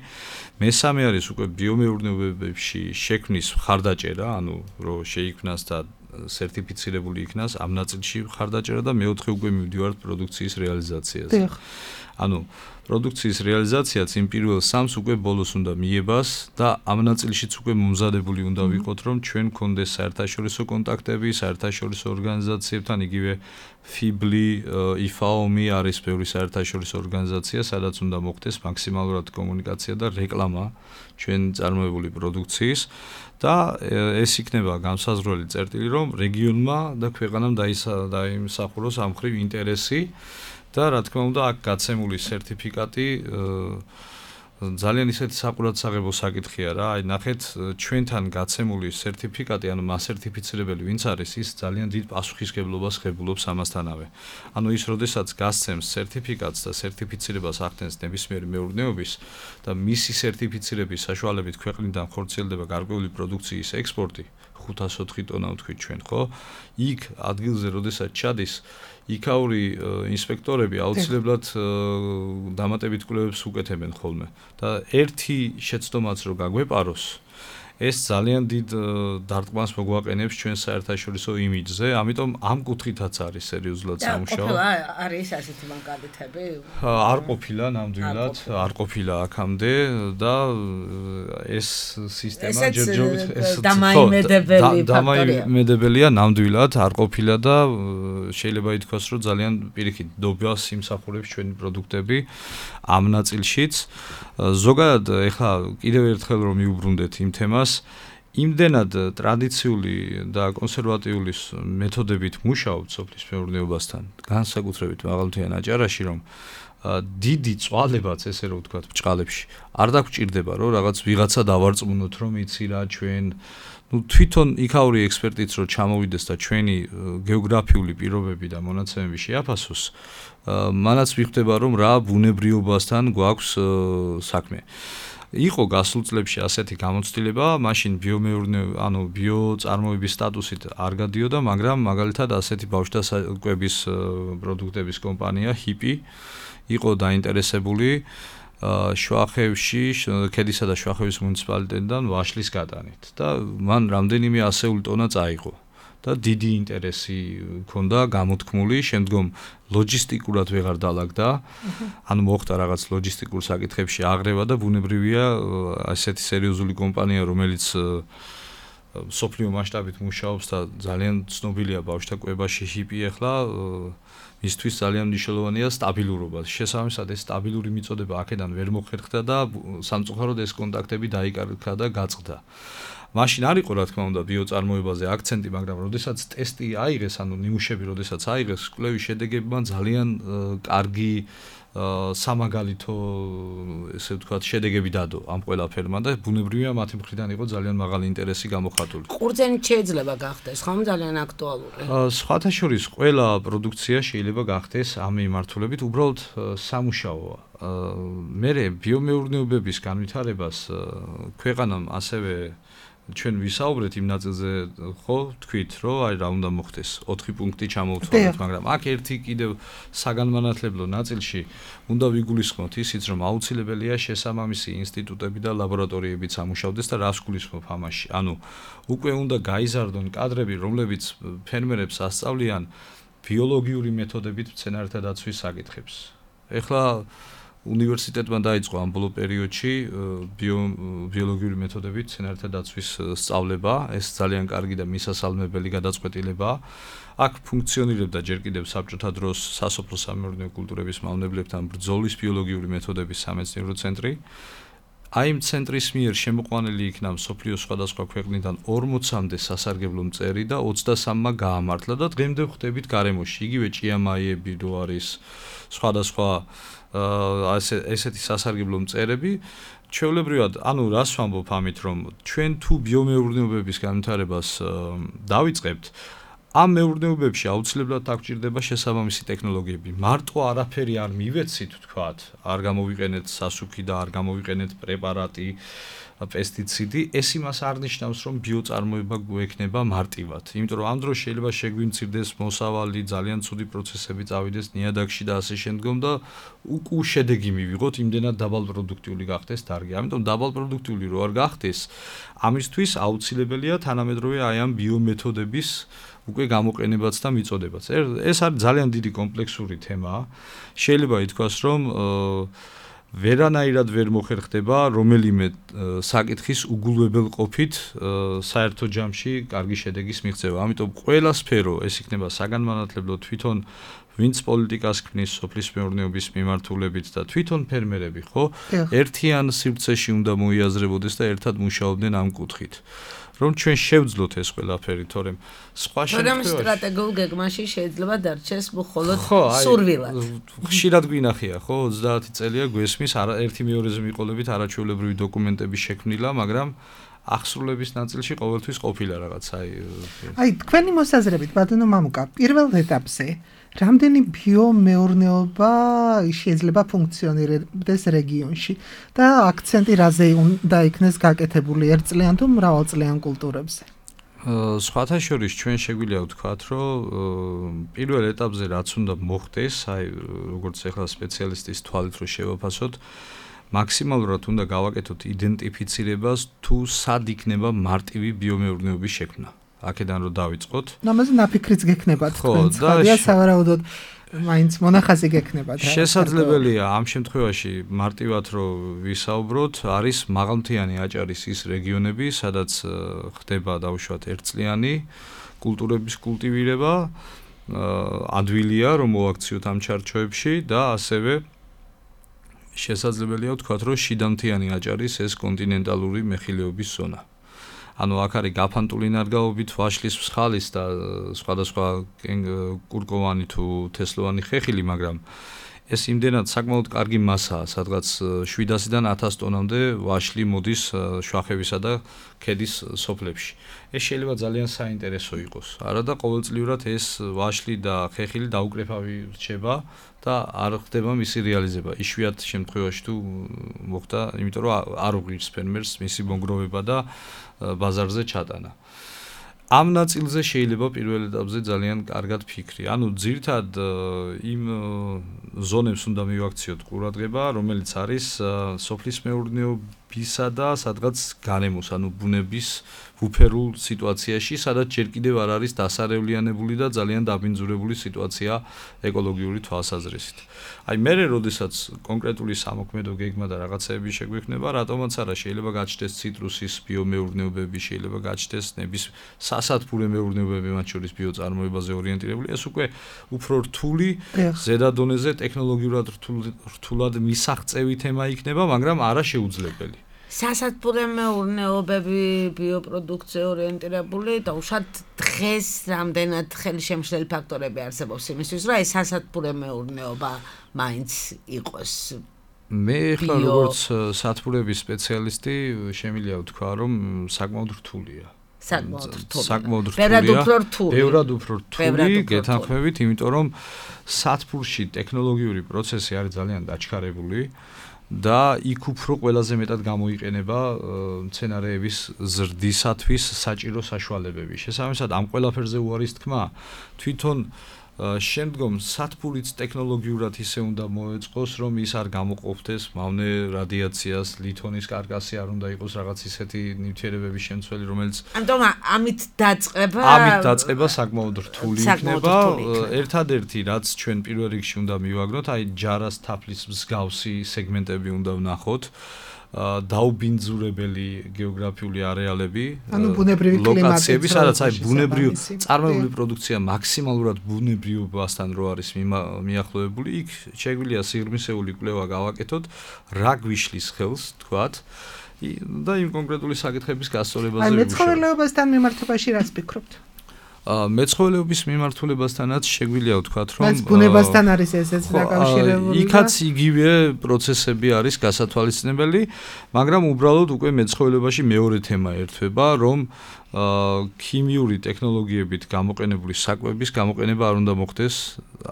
მესამე არის უკვე ბიომეურნეობებში შექმნის მხარდაჭერა, ანუ რომ შეიქმნას და სერტიფიცირებული იქნას ამ ნაწილში მხარდაჭერა და მეოთხე უკვე მივდივართ პროდუქციის რეალიზაციაზე. ანუ პროდუქციის რეალიზაციაც იმ პირველ სამს უკვე ბოლოს უნდა მიებას და ამ ნაწილშიც უკვე მომზადებული უნდა ვიყოთ, რომ ჩვენ გქონდეს საერთაშორისო კონტაქტები, საერთაშორისო ორგანიზაციებთან, იგივე ფიბლი, იფაომი არის ბევრი საერთაშორისო ორგანიზაცია, სადაც უნდა მოხდეს მაქსიმალურად კომუნიკაცია და რეკლამა ჩვენ წარმოებული პროდუქციის და ეს იქნება განსაზღვრელი წერტილი, რომ რეგიონმა და ქვეყანამ დაიმსახუროს ამ მხრივ ინტერესი და რა თქმა უნდა აქ გაცემული სერტიფიკატი ძალიან ისეთი საყურადსაღებო საკითხია რა. აი ნახეთ ჩვენთან გაცემული სერტიფიკატი, ანუ მასერტიფიცირებელი ვინც არის, ის ძალიან დიდ პასუხისგებლობას ღებულობს ამასთანავე. ანუ ის როდესაც გასცემს სერტიფიკატს და სერტიფიცირებას ახდენს ნებისმიერი მეურნეობის და მისი სერტიფიცირების საშუალებით ქვეყნიდან ხორციელდება გარკვეული პროდუქციის ექსპორტი, ხუთას ოთხი ტონა ვთქვით ჩვენ, ხო? იქ ადგილზე როდესაც ჩადის იქაური ინსპექტორები აუცილებლად დამატებით კვლევებს უკეთებენ ხოლმე და ერთი შეცდომაც რო გაგვეპაროს, ეს ძალიან დიდ დარტყმას მოგვაყენებს ჩვენ საერთაშორისო იმიჯზე, ამიტომ ამ კუთხითაც არის სერიოზულად სამუშაო. და არის ასეთი მაგალითები? არ ყოფილა ნამდვილად, არ ყოფილა აქამდე და ეს სისტემა ჯერჯერობით ეს დამაიმედებელი ფაქტორია. დამაიმედებელია ნამდვილად, არ ყოფილა და შეიძლება ითქვას, რომ ძალიან პირიქით დობას იმსახურებს ჩვენი პროდუქტები ამ ნაწილშიც. ზოგადად ეხლა კიდევ ერთხელ რომ მიუბრუნდეთ იმ თემას, იმდენად ტრადიციული და კონსერვატიული მეთოდებით მუშაობთ სოფლის მეურნეობასთან, განსაკუთრებით მაღალმთიან აჭარაში, რომ დიდი წვალებაც ესე რომ ვთქვათ ბჭყალებში არ დაგვჭირდება, რომ რაღაც ვიღაცა დავარწმუნოთ, რომ იცი რა ჩვენ ну თვითონ იქაური ექსპერტიც რო ჩამოვიდეს და ჩვენი გეოგრაფიული პირობები და მონაცემები შეაფასოს, მანაც ვიხდება რომ რა ბუნებრიობასთან გვაქვს საქმე. იყო გასულ წლებში ასეთი გამოცდილება, მაშინ ბიომეურნეობა, ანუ ბიოწარმოების სტატუსით არ გადიოდა, მაგრამ მაგალითად ასეთი ბავშვთა საკვების პროდუქტების კომპანია ჰიპი იყო დაინტერესებული შვახევში, ქედისა და შვახევის მუნიციპალიტეტიდან ვაშლის გატანით და მან რამდენიმე ასეული ტონა წაიღო და დიდი ინტერესი ჰქონდა გამოთქმული, შემდგომ ლოჯისტიკურად ვეღარ დაალაგდა, ანუ მოხდა რაღაც ლოჯისტიკურ საკითხებში აღრევა და ბუნებრივია ასეთი სერიოზული კომპანია, რომელიც სოფლიო მასშტაბით მუშაობს და ძალიან ცნობილია ბავშვთა კვებაში ჰიპი ახლა მისთვის ძალიან მნიშვნელოვანია სტაბილურობა. შესაბამისად ეს სტაბილური მიწოდება აქედან ვერ მოხერხდა და სამწუხაროდ ეს კონტაქტები დაიკარგა და გაწყდა. მაშინ არ იყო რა თქმა უნდა ბიოწარმოებაზე აქცენტი, მაგრამ როდესაც ტესტი აიღეს, ანუ ნიმუშები როდესაც აიღეს, კვლევის შედეგებმა ძალიან კარგი სამაგალითო ესე ვთქვათ შედეგები დადო ამ ყველაფერმა და ბუნებრივია მათი მხრიდან იყო ძალიან მაღალი ინტერესი გამოხატული. ყურძენი შეიძლება გახდეს, ხომ ძალიან აქტუალური. სხვათა შორის ყველა პროდუქცია შეიძლება გახდეს ამ მიმართულებით, უბრალოდ სამუშაოა. მე ბიომეურნეობების განვითარებას ქვეყანამ ასევე ჩვენ ვისაუბრეთ იმ ნაწილზე, ხო, თქვით, რომ აი რა უნდა მოხდეს, ოთხი პუნქტი ჩამოვთვალოთ, მაგრამ აქ ერთი კიდევ საგანმანათლებლო ნაწილში უნდა ვიგულისხმოთ ისიც, რომ აუცილებელია შესაბამისი ინსტიტუტები და ლაბორატორიებიც ამუშავდეს და რას გულისხმობ ამაში. ანუ უკვე უნდა გაიზარდონ კადრები, რომლებიც ფერმერებს ასწავლიან ბიოლოგიური მეთოდებით მცენარეთა დაცვის საკითხებს. ეხლა უნივერსიტეტმა დაიწყო ამ ბოლო პერიოდში ბიოლოგიური მეთოდებით მცენარეთა დაცვის სწავლება. ეს ძალიან კარგი და მისასალმებელი გადაწყვეტილებაა. აქ ფუნქციონირებდა ჯერ კიდევ საბჭოთა დროს სასოფლო სამეურნეო კულტურების მავნებლებთან ბრძოლის ბიოლოგიური მეთოდების სამეცნიერო ცენტრი. აი ამ ცენტრის მიერ შემოყვანილი იქნა მსოფლიოს სხვადასხვა ქვეყნიდან ორმოცამდე სასარგებლო მწერი და ოცდასამმა გაამართლა და დღემდე ვხვდებით გარემოში. იგივე ჭიამაიები რო არის სხვადასხვა ასე ესეთი სასარგებლო მწერები. ჩვეულებრივად, ანუ რას ვამბობ ამით, რომ ჩვენ თუ ბიომეურნეობების განვითარებას დავიწყებთ, ამ მეურნეობებში აუცილებლად დაგვჭირდება შესაბამისი ტექნოლოგიები. მარტო არაფერი არ მივეცით, თქვათ, არ გამოვიყენეთ სასუქი და არ გამოვიყენეთ პრეპარატი, პესტიციდი, ეს იმას არ ნიშნავს, რომ ბიოწარმოება გვექნება მარტივად. იმიტომ რომ ამ დროს შეიძლება შეგვიმცირდეს მოსავალი, ძალიან ცუდი პროცესები წავიდეს ნიადაგში და ასე შემდგომ და უკუ შედეგი მივიღოთ, იმდენად დაბალპროდუქტიული გახდეს დარგი. ამიტომ დაბალპროდუქტიული რო არ გახდეს, ამისთვის აუცილებელია თანამედროვე აი ამ ბიომეთოდების უკვე გამოყენებაც და მიწოდებაც. ეს არის ძალიან დიდი კომპლექსური თემაა. შეიძლება ითქვას, რომ ვერანაირად ვერ მოხერხდება რომელიმე საკითხის უგულვებელ ყოფით საერთო ჯამში კარგი შედეგის მიღწევა. ამიტომ ყველა სფერო, ეს იქნება საგანმანათლებლო, თვითონ ვინც პოლიტიკას ქმნის სოფლის მეურნეობის მიმართულებით და თვითონ ფერმერები, ხო, ერთიან სივრცეში უნდა მოიაზრებოდეს და ერთად მუშაობდნენ ამ კუთხით. რომ ჩვენ შევძლოთ ეს ყველაფერი, თორემ სხვა შემთხვევაში თორემ სტრატეგიულ გეგმაში შეიძლება დარჩეს მხოლოდ სურვილად. ხშირად გვინახია, ხო, ოცდაათი წელია გვესმის ერთი მეორეზე მიყოლებით არაჩვეულებრივი დოკუმენტების შექმნილა, მაგრამ აღსრულების ნაწილში ყოველთვის ყოფილა რაღაც, აი აი თქვენი მოსაზრებით, ბატონო მამუკა, პირველ ეტაპზე რამდენი ბიომეურნეობა შეიძლება ფუნქციონირდეს რეგიონში და აქცენტი რაზე უნდა იქნეს გაკეთებული, ერთწლიან თუ მრავალწლიან კულტურებზე? სხვათა შორის ჩვენ შეგვიძლია ვთქვათ, რომ პირველ ეტაპზე რაც უნდა მოხდეს, აი როგორც ახლა სპეციალისტის თვალით რო შევაფასოთ, მაქსიმალურად უნდა გავაკეთოთ იდენტიფიცირებას თუ სად იქნება მარტივი ბიომეურნეობის შექმნა. აქედან რო დავიწყოთ. ამაზე ნაფიქრიც გექნებათ თქვენ, ცხადია სავარაუდოდ მაინც მონახაზი გექნებათ. შესაძლებელია ამ შემთხვევაში მარტივად რო ვისაუბროთ, არის მაღალმთიანი აჭარის ის რეგიონები, სადაც ხდება დაუშვათ ერთწლიანი კულტურების კულტივირება, ადვილია რომ მოაქციოთ ამ ჩარჩოებში და ასევე შესაძლებელია ვთქვათ, რომ შიდამთიანი აჭარის ეს კონტინენტალური მეხილეობის ზონა. ანუ აქ არის გაფანტული ნარგავობით ვაშლის მსხალის და სხვადასხვა კურკოვანი თუ თესლოვანი ხეხილი, მაგრამ ეს იმდენად საკმაოდ კარგი მასაა, სადღაც შვიდასიდან ათას ტონამდე ვაშლი მოდის შვახევისა და ქედის სოფლებში. ეს შეიძლება ძალიან საინტერესო იყოს. არა და ყოველწლიურად ეს ვაშლი და ხეხილი დაუკრეფავი რჩება და არ ხდება მისი რეალიზება. იშვიათ შემთხვევაში თუ მოხდა, იმიტომ რომ არ უღირს ფერმერს მისი მონგროვება და ბაზარზე ჩატანა. ამ ნაწილზე შეიძლება პირველ ეტაპზე ძალიან კარგად ფიქრი. ანუ ძირთად იმ ზონებს უნდა მივაქციოთ ყურადღება, რომელიც არის სოფლის მეურნეობისა და სადღაც განემოს, ანუ ბუნების უფერულ სიტუაციაში, სადაც ჯერ კიდევ არ არის დასარევლიანებული და ძალიან დაბინძურებული სიტუაცია ეკოლოგიური თვალსაზრისით. აი მერე როდესაც კონკრეტული სამოქმედო გეგმა და რაღაცეები შეგვექნება, რატომაც არა, შეიძლება გაჩნდეს ციტრუსის ბიომეურნეობები, შეიძლება გაჩნდეს ნების სასათბურე მეურნეობები, მათ შორის ბიოწარმოებაზე ორიენტირებული, ეს უკვე უფრო რთული, ზედა დონეზე ტექნოლოგიურად რთულად მისაღწევი თემა იქნება, მაგრამ არა შეუძლებელი. სასათბურე მეურნეობები, ბიოპროდუქცია ორიენტირებული და უშად დღეს რამდენად ხელშემშლელი ფაქტორები არსებობს იმისთვის, რომ ეს სასათბურე მეურნეობა მაინც იყოს. მე ხა როგორც სათბურების სპეციალისტი შემიძლია ვთქვა, რომ საკმაოდ რთულია. საკმაოდ რთულია. საკმაოდ რთულია. ბევრად უფრო რთული. ბევრად უფრო რთული, გეთანხმებით, იმიტომ რომ სათბურში ტექნოლოგიური პროცესი არის ძალიან დაჩქარებული. და იქ უფრო ყველაზე მეტად გამოიყენება მცენარეების ზრდისათვის საჭირო საშუალებები. შესაბამისად, ამ ყველაფერზე უარის თქმა, თვითონ შემდგომ სათბურიც ტექნოლოგიურად ისე უნდა მოეწყოს, რომ ის არ გამოყოფდეს მავნე რადიაციას, ლითონის კარკასი არ უნდა იყოს რაღაც ისეთი ნივთიერებების შემცველი, რომელიც ამიტომ ამით დაწყება ამით დაწყება საკმაოდ რთული იქნება. ერთადერთი რაც ჩვენ პირველ რიგში უნდა მივაგნოთ, აი ჯარას თაფლის მსგავსი სეგმენტები უნდა ვნახოთ. დაუბინძურებელი გეოგრაფიული არეალები, ლოკაციები, სადაც აი ბუნებრივი წარმოებული პროდუქცია მაქსიმალურად ბუნებრივობასთან რო არის მიახლოებული, იქ შეგვიძლია სიღრმისეული კვლევა გავაკეთოთ, რა გვიშლის ხელს, თქვათ, და იმ კონკრეტული საკითხების გასწორებაზე ვიმუშაოთ. აი მეცხოველეობასთან მიმართებაში რას ფიქრობთ? მეცხოველეობის მიმართულებასთანაც შეგვიძლია ვთქვათ, რომ მას ბუნებასთან არის ესეც დაკავშირებული. იქაც იგივე პროცესები არის გასათვალისწინებელი, მაგრამ უბრალოდ უკვე მეცხოველეობაში მეორე თემა ერთვება, რომ ქიმიური ტექნოლოგიებით გამოყენებული საკვების გამოყენება არ უნდა მოხდეს,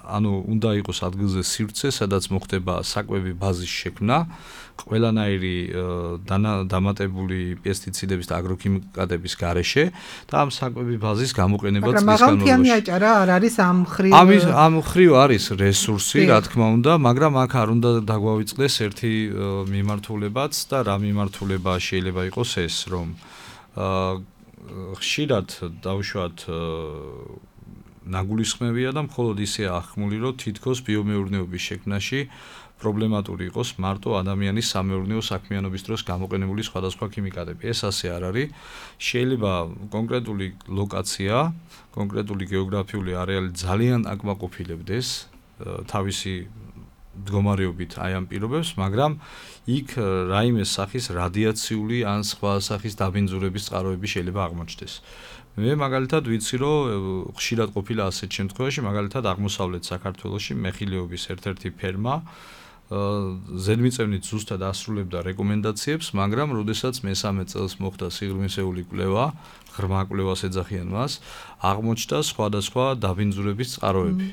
ანუ უნდა იყოს ადგილზე სივრცე, სადაც მოხდება საკვები ბაზის შექმნა, ყველანაირი დამატებული პესტიციდების და აგროქიმიკატების გარეშე და ამ საკვები ბაზის გამოყენება წლის განმავლობაში. მაგრამ მაღალმთიანი აჭარა არ არის ამ ხრივ ამის ამ ხრივ არის რესურსი, რა თქმა უნდა, მაგრამ აქ არ უნდა დაგვავიწყდეს ერთი მიმართულებაც და რა მიმართულება შეიძლება იყოს ეს, რომ ხშირად დავუშვათ ნაგულისხმევია და მხოლოდ ისე ახმული, რომ თითქოს ბიომეურნეობის შექმნაში პრობლემატური იყოს მარტო ადამიანის სამეურნეო საქმიანობის დროს გამოყენებული სხვადასხვა ქიმიკატები. ეს ასე არ არის. შეიძლება კონკრეტული ლოკაცია, კონკრეტული გეოგრაფიული არეალი ძალიან აკმაყოფილებდეს თავისი მდგომარეობით აი ამ პირობებს, მაგრამ იქ რაიმე სახის რადიაციული ან სხვა სახის დაბინძურების წყაროები შეიძლება აღმოჩნდეს. მე მაგალითად ვიცი, რომ ხშირად ყოფილა ასეთ შემთხვევაში, მაგალითად აღმოსავლეთ საქართველოში მეხილეობის ერთ-ერთი ფერმა ზედმიწევნით ზუსტად ასრულებდა რეკომენდაციებს, მაგრამ როდესაც მესამე წელს მოხდა სიღრმისეული კვლევა, ღრმა კვლევას ეძახიან მას, აღმოჩნდა სხვადასხვა დაბინძურების წყაროები.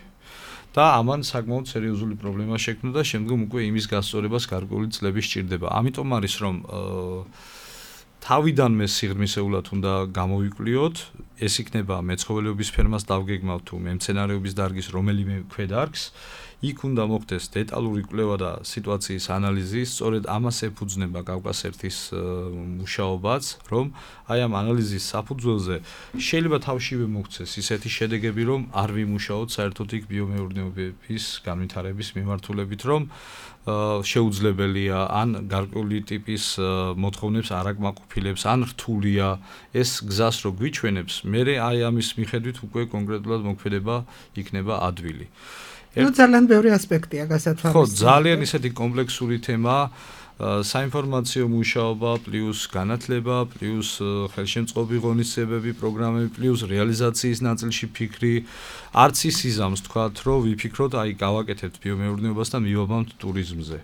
და ამან საკმაოდ სერიოზული პრობლემა შექმნა და შემდგომ უკვე იმის გასწორებას გარკვეული წლები სჭირდება. ამიტომ არის რომ თავიდანვე სიღრმისეულად უნდა გამოვიკვლიოთ, ეს იქნება მეცხოველეობის ფერმას დავგეგმავთ თუ მემცენარეობის დარგის რომელიმე ქვედარგს, იქ უნდა მოხდეს დეტალური კვლევა და სიტუაციის ანალიზი, სწორედ ამას ეფუძნება კავკასერთის მუშაობაც, რომ აი ამ ანალიზის საფუძველზე შეიძლება თავშივე მოქცეს ისეთი შედეგები, რომ არ ვიმუშაოთ საერთოდ იქ ბიომეურნეობის განვითარების მიმართულებით, რომ შეუძლებელია ან გარკვეული ტიპის მოთხოვნებს არ აკმაყოფილებს, ან რთულია ეს გზას რო გვიჩვენებს, მერე აი ამის მიხედვით უკვე კონკრეტულად მოქმედება იქნება ადვილი. ნუ ძალიან ბევრი ასპექტია გასათვალისწინებელი. ხო, ძალიან ისეთი კომპლექსური თემა, საინფორმაციო მუშაობა, პლუს განათლება, პლუს ხელშემწყობი ღონისძიებები, პროგრამები, პლუს რეალიზაციის ნაწილში ფიქრი, არც ის იზამს თქვათ, რომ ვიფიქროთ, აი გავაკეთებთ ბიომეურნეობას და მივაბამთ ტურიზმზე.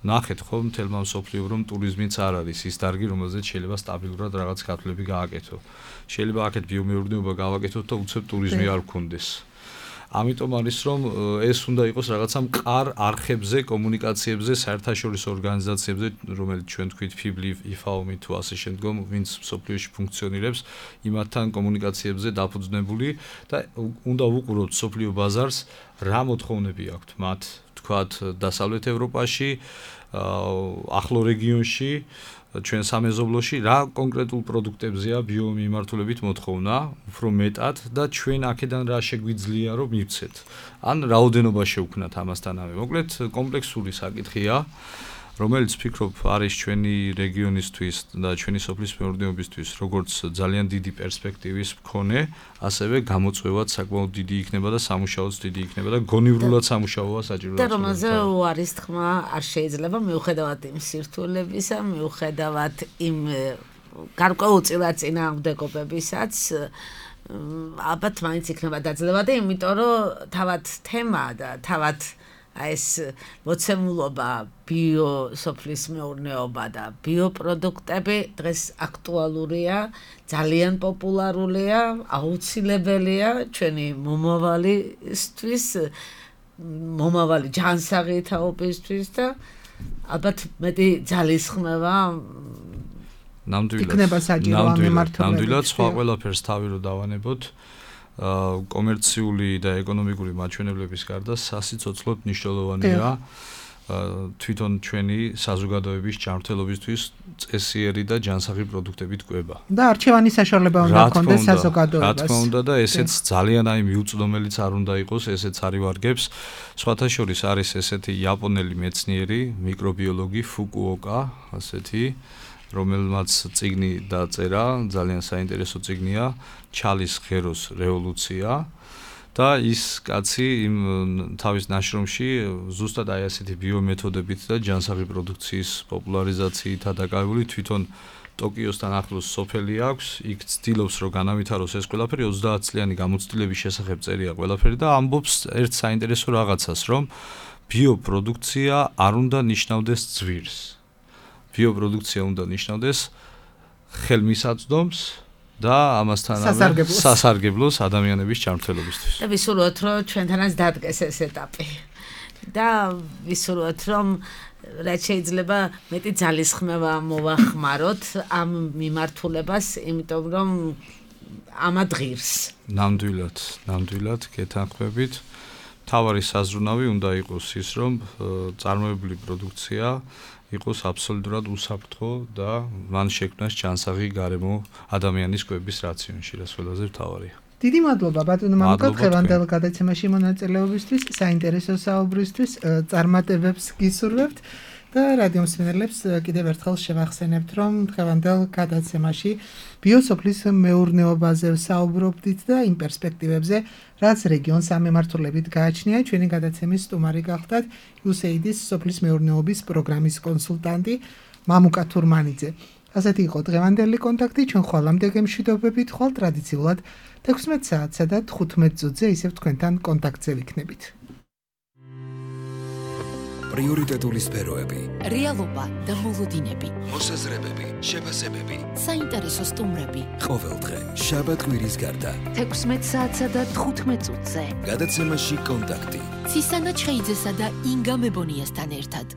ნახეთ ხო, მთელმა მსოფლიო რომ ტურიზმიც არ არის ის დარგი, რომელზეც შეიძლება სტაბილურად რაღაც გათვლები გააკეთო. შეიძლება აქეთ ბიომეურნეობა გავაკეთოთ და უცებ ტურიზმი არ გქონდეს. ამიტომ არის რომ ეს უნდა იყოს რაღაცა მყარ არხებზე, კომუნიკაციებზე, საერთაშორისო ორგანიზაციებზე, რომელიც ჩვენ თქვით ფიბლი, იფაომი თუ ასე შემდგომ, ვინც მსოფლიოში ფუნქციონირებს, იმათთან კომუნიკაციებზე დაფუძნებული და უნდა ვუყუროთ მსოფლიო ბაზარს, რა მოთხოვნები აქვთ მათ, თქვათ დასავლეთ ევროპაში, ახლო რეგიონში, ჩვენ სამეზობლოში რა კონკრეტულ პროდუქტებზეა ბიომიმართულებით მოთხოვნა, უფრო მეტად და ჩვენ აქედან რა შეგვიძლია რომ მივცეთ. ან რაოდენობა შევქნათ ამასთანავე. მოკლედ კომპლექსური საკითხია, რომელიც ფიქრობ არის ჩვენი რეგიონისთვის და ჩვენი სოფლის მეურნეობისთვის როგორც ძალიან დიდი პერსპექტივის მქონე, ასევე გამოწვევად საკმაოდ დიდი იქნება და სამუშაოც დიდი იქნება და გონივრულად სამუშაოა საჭიროა. და რომელზე უარის თქმა არ შეიძლება მიუხედავად იმ სირთულებისა, მიუხედავად იმ გარკვეულწილად წინააღმდეგობებისაც, ალბათ მაინც იქნება დაძლევადი, იმიტომ რომ თავად თემა და თავად ეს მოცემულობა ბიოსოფლის მეურნეობა და ბიოპროდუქტები დღეს აქტუალურია, ძალიან პოპულარულია, აუცილებელია ჩვენი მომავალისთვის, მომავალი ჯანსაღი თაობისთვის და ალბათ მეტი ძალისხმევა იქნება საჭირო ამ მიმართულებით. ნამდვილად სხვა ყველაფერს თავი რო დავანებოთ, კომერციული და ეკონომიკური მაჩვენებლების გარდა სასიცოცხლოდ მნიშვნელოვანია თვითონ ჩვენი საზოგადოების ჯანმრთელობისთვის წესიერი და ჯანსაღი პროდუქტებით კვება. და არჩევანის საშუალება უნდა ჰქონდეს საზოგადოებას. რა თქმა უნდა და ესეც ძალიან აი მიუწვდომელიც არ უნდა იყოს, ესეც არის ვარგებს. სხვათა შორის არის ესეთი იაპონელი მეცნიერი, მიკრობიოლოგი ფუკუოკა, ასეთი, რომელმაც წიგნი დაწერა, ძალიან საინტერესო წიგნია, ჩალის ღეროს რევოლუცია. და ის კაცი იმ თავის ნაშრომში ზუსტად აი ასეთი ბიომეთოდებით და ჯანსაღი პროდუქციის პოპულარიზაციითა დაკავებული თვითონ ტოკიოსთან ახლოს სოფელი აქვს, იქ ცდილობს რომ განავითაროს ეს ყველაფერი, ოცდაათ წლიანი გამოცდილების შესახებ წერია ყველაფერი და ამბობს ერთ საინტერესო რაღაცას, რომ ბიოპროდუქცია არ უნდა ნიშნავდეს ძვირს. ბიოპროდუქცია უნდა ნიშნავდეს ხელმისაწვდომს და ამასთანავე სასარგებლოს ადამიანების ჯანმრთელობისთვის. და ვისურვოთ, რომ ჩვენთანაც დადგეს ეს ეტაპი. და ვისურვოთ, რომ რაც შეიძლება მეტი ძალისხმევა მოვახმაროთ ამ მიმართულებას, იმიტომ რომ ამად ღირს. ნამდვილად, ნამდვილად გეთანხმებით. მთავარი საზრუნავი უნდა იყოს ის, რომ წარმოებული პროდუქცია იყოს აბსოლუტურად უსაფრთხო და მან შექმნას ჯანსაღი გარემო ადამიანის კვების რაციონში, რაც ყველაზე მთავარია. დიდი მადლობა ბატონო მამუკა დღევანდელ გადაცემაში მონაწილეობისთვის, საინტერესო საუბრისთვის, წარმატებებს გისურვებთ და რადიო მსმენელებს კიდევ ერთხელ შევახსენებთ, რომ დღევანდელ გადაცემაში ბიოსოფლის მეურნეობაზე საუბრობდით და იმ პერსპექტივებზე, რაც რეგიონს ამემართულებით გააჩნია. ჩვენი გადაცემის სტუმარი გახდათ იუ ეს ეი დი-ის სოფლის მეურნეობის პროგრამის კონსულტანტი მამუკა თურმანიძე. ასეთი იყო დღევანდელი კონტაქტი, ჩვენ ხვალამდე გემშვიდობებით, ხვალ ტრადიციულად თექვსმეტ საათსა და თხუთმეტ წუთზე ისევ თქვენთან კონტაქტზე ვიქნებით. პრიორიტეტული სფეროები, რეალობა და მოლოდინები, მოსაზრებები, შეფასებები, საინტერესო სტუმრები. ყოველდღე შაბათ-კვირის გარდა თექვსმეტ საათსა და თხუთმეტ წუთზე. გადაცემაში კონტაქტი. ცისანა ჩხეიძესა და ინგა მებონიასთან ერთად.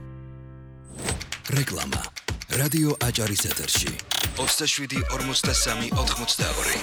რეკლამა. რადიო აჭარის ეთერში. ოცდაშვიდი ორმოცდასამი ოთხმოცდაორი.